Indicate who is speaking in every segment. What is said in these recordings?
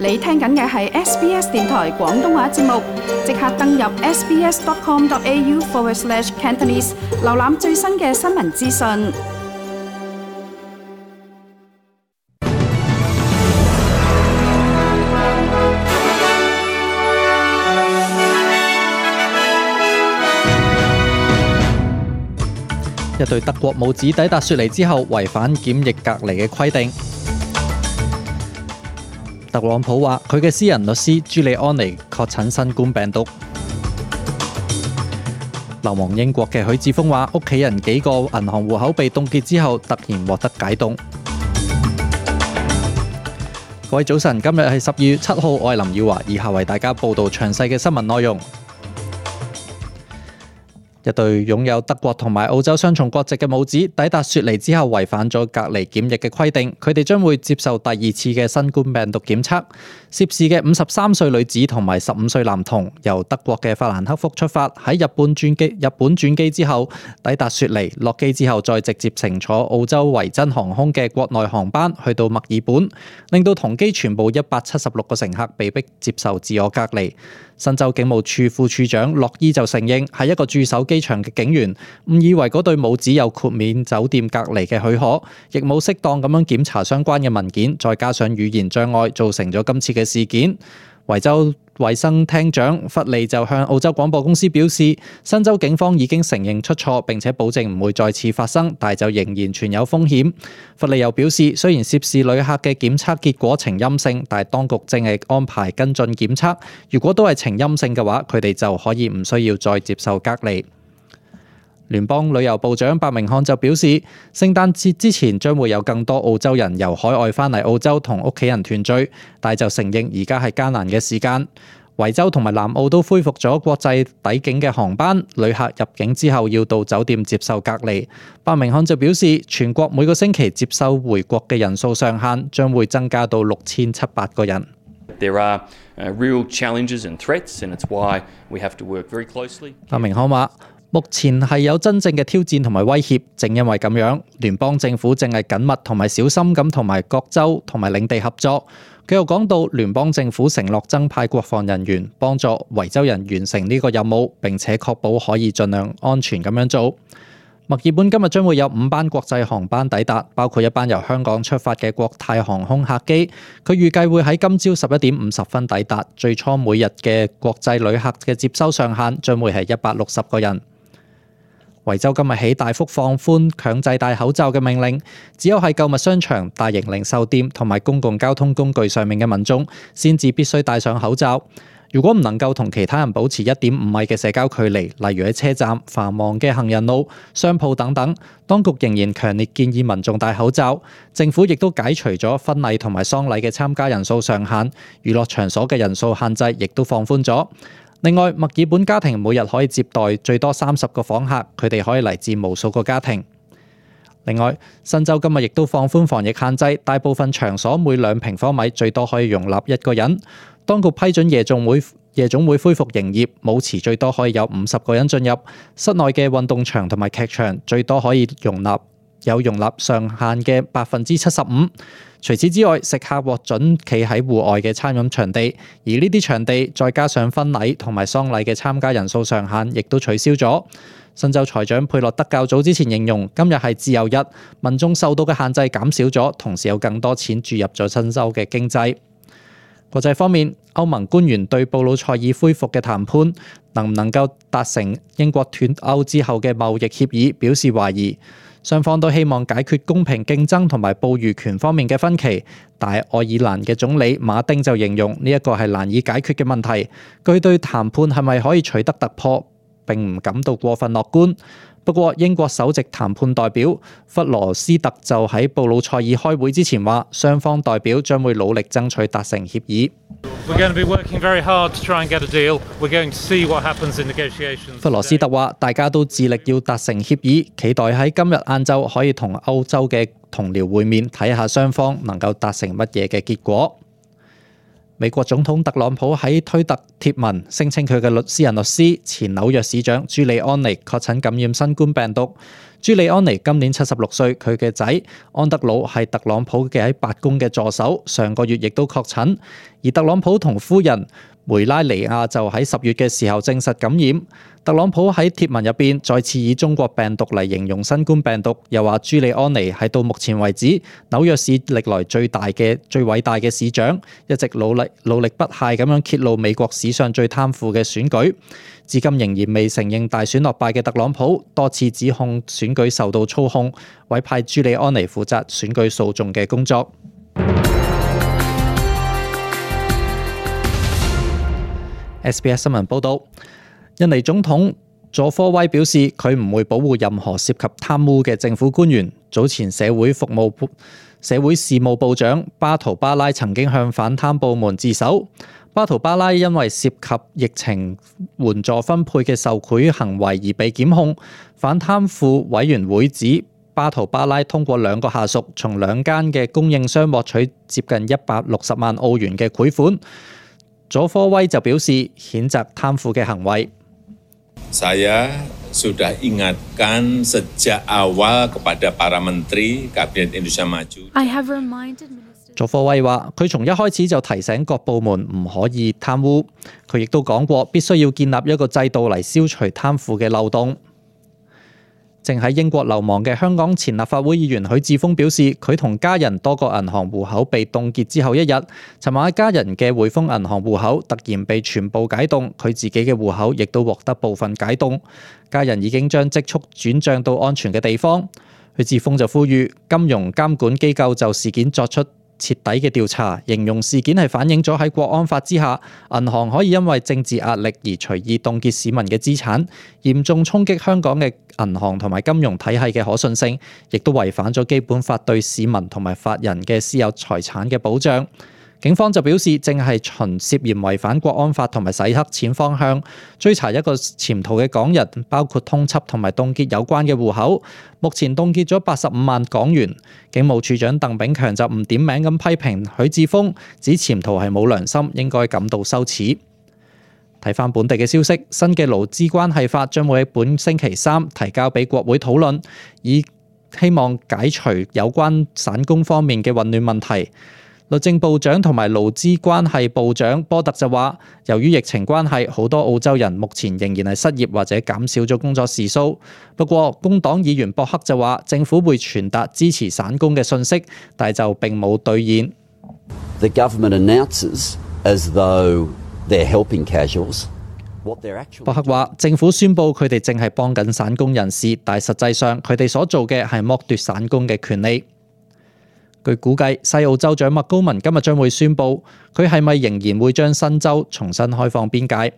Speaker 1: 你聽緊嘅係 SBS 電台廣東話節目，即刻登入 sbs.com.au/Cantonese 瀏覽最新嘅新聞資訊。
Speaker 2: 一對德國母子抵達雪梨之後，違反檢疫隔離嘅規定。特朗普話佢嘅私人律師朱利安尼確診新冠病毒。流亡英國嘅許智峰話屋企人幾個銀行戶口被凍結之後，突然獲得解凍。各位早晨，今日係12月7號，我係林耀華，以下為大家報道詳細嘅新聞內容。一對擁有德國同埋澳洲雙重國籍嘅母子抵達雪梨之後，違反咗隔離檢疫嘅規定，佢哋將會接受第二次嘅新冠病毒檢測。涉事嘅53歲女子同埋15歲男童由德國嘅法蘭克福出發，喺日本轉機之後抵達雪梨，落機之後再直接乘坐澳洲維珍航空嘅國內航班去到墨爾本，令到同機全部176個乘客被迫接受自我隔離。新州警務處副處長洛伊就承認係一個駐守機場嘅警員誤以為嗰對母子有豁免酒店隔離嘅許可，亦冇適當咁樣檢查相關嘅文件，再加上語言障礙，造成咗今次嘅事件。維州衛生廳長弗利就向澳洲廣播公司表示，新州警方已經承認出錯，並且保證唔會再次發生，但就仍然存有風險。弗利又表示，雖然涉事旅客嘅檢測結果呈陰性，但當局正係安排跟進檢測，如果都係呈陰性嘅話，佢哋就可以唔需要再接受隔離。聯邦旅遊部長白明漢就表示，聖誕節之前將會有更多澳洲人由海外返嚟澳洲同屋企人團聚，但就承認而家係艱難嘅時間。維州同埋南澳都恢復咗國際抵境嘅航班，旅客入境之後要到酒店接受隔離。白明漢就表示，全國每個星期接收回國嘅人數上限將會增加到6700個人。
Speaker 3: There are real challenges and threats, and it's why we have to work very closely.
Speaker 2: 白明漢話，目前係有真正嘅挑戰同埋威脅，正因為咁樣，聯邦政府正係緊密同埋小心咁同埋各州同埋領地合作。佢又講到，聯邦政府承諾增派國防人員幫助維州人完成呢個任務，並且確保可以盡量安全咁樣做。墨爾本今日將會有5班國際航班抵達，包括一班由香港出發嘅國泰航空客機。佢預計會喺今朝11點50分抵達。最初每日嘅國際旅客嘅接收上限將會係160個人。維州今日起大幅放寬強制戴口罩嘅命令，只有喺購物商場、大型零售店同埋公共交通工具上面嘅民眾先至必須戴上口罩。如果唔能夠同其他人保持1.5米嘅社交距離，例如喺車站、繁忙嘅行人路、商鋪等等，當局仍然強烈建議民眾戴口罩。政府亦都解除咗婚禮同埋喪禮嘅參加人數上限，娛樂場所嘅人數限制亦都放寬咗。另外，墨爾本家庭每日可以接待最多30個訪客，佢哋可以嚟自無數個家庭。另外，新州今日亦都放寬防疫限制，大部分場所每2平方米最多可以容納1個人。當局批准夜總會恢復營業，舞池最多可以有50個人進入。室內嘅運動場同埋劇場最多可以容納上限嘅75%。除此之外，食客獲准企喺戶外嘅餐飲場地，而呢啲場地再加上婚禮同埋喪禮嘅參加人數上限，亦都取消咗。新州財長佩洛德較早之前形容，今日係自由日，民眾受到嘅限制減少咗，同時有更多錢注入咗新州嘅經濟。國際方面，歐盟官員對布魯塞爾恢復嘅談判能唔能夠達成英國脫歐之後嘅貿易協議表示懷疑。雙方都希望解決公平競爭同埋捕魚權方面嘅分歧，但係愛爾蘭嘅總理馬丁就形容呢一個係難以解決嘅問題。佢對談判係咪可以取得突破並唔感到過分樂觀。不過，英國首席談判代表弗羅斯特就喺布魯塞爾開會之前話，雙方代表將會努力爭取達成協議。弗羅斯特話：大家都致力要達成協議，期待喺今日晏晝可以同歐洲嘅同僚會面，睇下雙方能夠達成乜嘢嘅結果。美國總統特朗普喺推特貼文聲稱佢嘅私人律師前紐約市長朱利安尼確診感染新冠病毒。朱利安尼今年76歲，佢嘅仔安德魯係特朗普嘅喺白宮嘅助手，上個月亦都確診，而特朗普同夫人梅拉尼亞就喺10月嘅時候證實感染。特朗普喺貼文入邊再次以中國病毒嚟形容新冠病毒，又話朱利安尼係到目前為止紐約市歷來最偉大嘅市長，一直努力不懈咁樣揭露美國史上最貪腐嘅選舉。至今仍然未承認大選落敗嘅特朗普，多次指控選舉受到操控，委派朱利安尼負責選舉訴訟嘅工作。SBS 新聞報導，印尼總統佐科威表示，佢唔會保護任何涉及貪污嘅政府官員。早前社會事務部長巴圖巴拉曾經向反貪部門自首。巴圖巴拉因為涉及疫情援助分配嘅受賄行為而被檢控。反貪腐委員會指，巴圖巴拉通過2個下屬從2間嘅供應商獲取接近160萬澳元嘅賄款。佐科威就表示譴責貪腐嘅行為。
Speaker 4: Saya sudah ingatkan sejak awal kepada para menteri Kabinet Indonesia Maju。
Speaker 2: 佐科威話：佢從一開始就提醒各部門唔可以貪污。佢亦都講過，必須要建立一個制度嚟消除貪腐嘅漏洞。正喺英國流亡嘅香港前立法會議員許智峰表示，佢同家人多個銀行戶口被凍結之後一日，尋晚家人嘅匯豐銀行戶口突然被全部解凍，佢自己嘅戶口亦都獲得部分解凍，家人已經將積蓄轉帳到安全嘅地方。許智峰就呼籲金融監管機構就事件作出徹底嘅調查，形容事件係反映咗喺國安法之下，銀行可以因為政治壓力而隨意凍結市民嘅資產，嚴重衝擊香港嘅銀行同埋金融體系嘅可信性，亦都違反咗基本法對市民同埋法人嘅私有財產嘅保障。警方就表示，正係循涉嫌違反國安法同埋洗黑錢方向追查一個潛逃嘅港人，包括通緝同埋凍結有關嘅戶口。目前凍結咗85萬港元。警務處長鄧炳強就唔點名咁批評許智峰，指潛逃係冇良心，應該感到羞恥。睇返本地嘅消息，新嘅勞資關係法將會喺本星期3提交俾國會討論，以希望解除有關散工方面嘅混亂問題。律政部長同埋勞資關係部長波特就話，由於疫情關係，好多澳洲人目前仍然係失業或者減少咗工作時數。不過工黨議員博克就話，政府會傳達支持散工嘅訊息，但係就並冇兌現。
Speaker 5: The government announces as though they're helping casuals.
Speaker 2: 博克話，政府宣布佢哋正係幫緊散工人士，但係實際上佢哋所做嘅係剝奪散工嘅權利。據估計，西澳州長麥高文今日將會宣布，佢係咪仍然會將新州重新開放邊界。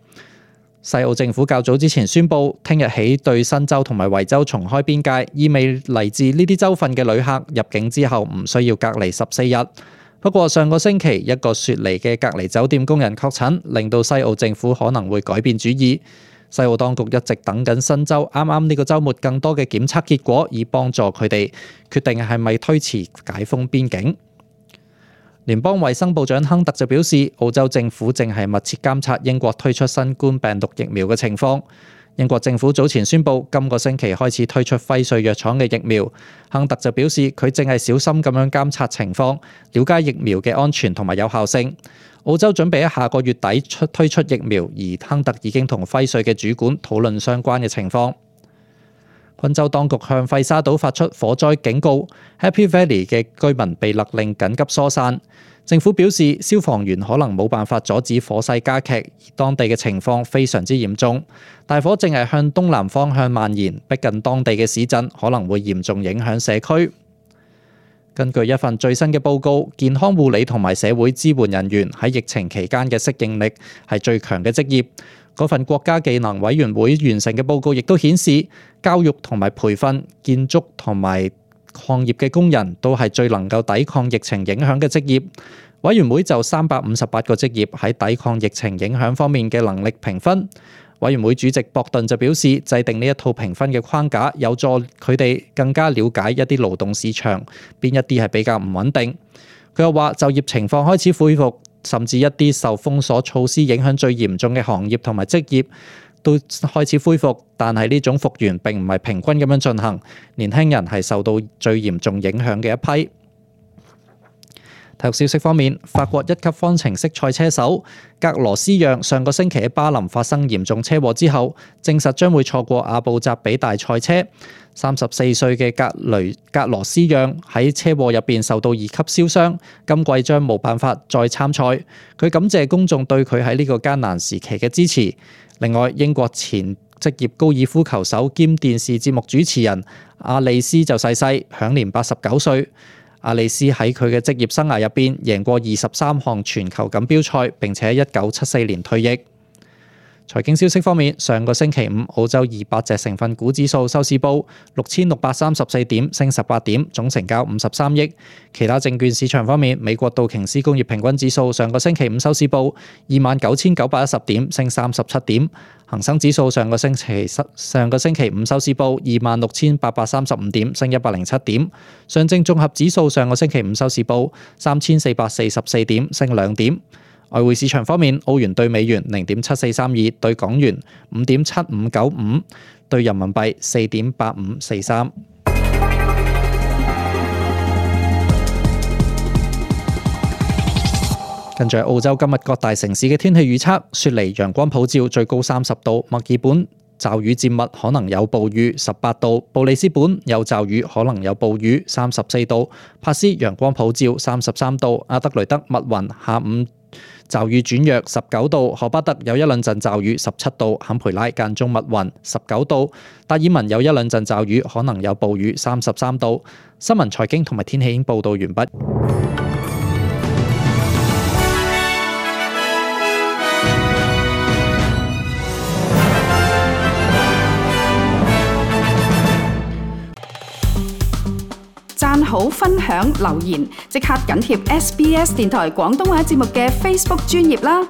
Speaker 2: 西澳政府較早之前宣布，聽日起對新州同埋維州重開邊界，意味嚟自呢啲州份嘅旅客入境之後唔需要隔離14日。不過上個星期一個雪梨嘅隔離酒店工人確診，令到西澳政府可能會改變主意。西澳當局一直等緊新州啱啱呢個週末更多嘅檢測結果，以幫助佢哋決定係咪推遲解封邊境。聯邦衛生部長亨特就表示，澳洲政府正係密切監察英國推出新冠病毒疫苗嘅情況。英國政府早前宣布，今個星期開始推出輝瑞藥廠嘅疫苗。亨特就表示，佢正係小心咁樣監察情況，了解疫苗嘅安全同埋有效性。澳洲準備喺下個月底推出疫苗，而亨特已經同輝瑞嘅主管討論相關嘅情況。昆州當局向費沙島發出火災警告 ，Happy Valley 嘅居民被勒令緊急疏散。政府表示，消防員可能冇辦法阻止火勢加劇，而當地嘅情況非常之嚴重。大火正係向東南方向蔓延，逼近當地嘅市鎮，可能會嚴重影響社區。根據一份最新嘅報告，健康護理同埋社會支援人員喺疫情期間嘅適應力係最強嘅職業。嗰份國家技能委員會完成嘅報告亦都顯示，教育同埋培訓、建築同埋礦業嘅工人都係最能夠抵抗疫情影響嘅職業。委員會就358個職業喺抵抗疫情影響方面嘅能力評分。委員會主席博頓就表示，制定呢一套評分嘅框架，有助佢哋更加了解一啲勞動市場邊一啲係比較唔穩定。佢又話，就業情況開始恢復，甚至一啲受封鎖措施影響最嚴重嘅行業同埋職業都開始恢復，但係呢種復原並唔係平均咁樣進行，年輕人係受到最嚴重影響嘅一批。體育消息方面，法國一級方程式賽車手格羅斯讓上個星期喺巴林發生嚴重車禍之後，證實將會錯過阿布扎比大賽車。34歲嘅格羅斯讓喺車禍入邊受到2級燒傷，今季將冇辦法再參賽。佢感謝公眾對佢喺呢個艱難時期嘅支持。另外，英國前職業高爾夫球手兼電視節目主持人阿利斯就逝世，享年89歲。阿利斯喺佢嘅職業生涯入邊贏過23項全球錦標賽，並且喺1974年退役。財經消息方面，上個星期五澳洲200隻成分股指數收市報6634點，升18點，總成交53億。其他證券市場方面，美國道瓊斯工業平均指數上個星期五收市報29,910點，升37點。恒生指數上個星期五收市報26,835點，升107點。上證綜合指數上個星期五收市報3,444點，升2點。外匯市場方面，澳元對美元0.7432，對港元5.7595，對人民幣4.8543。跟住澳洲今日各大城市嘅天氣預測：雪梨陽光普照，最高30度；墨爾本驟雨漸密，可能有暴雨18度；布里斯本有驟雨，可能有暴雨34度；帕斯陽光普照33度；阿德雷德密雲，下午驟雨轉弱19度；荷巴特有一兩陣驟雨17度；坎培拉間中密雲19度；達爾文有一兩陣驟雨，可能有暴雨33度。新聞、財經同埋天氣已經報道完畢。
Speaker 1: 讚好、分享、留言，即刻緊貼SBS 電台廣東話節目嘅 Facebook 專頁啦！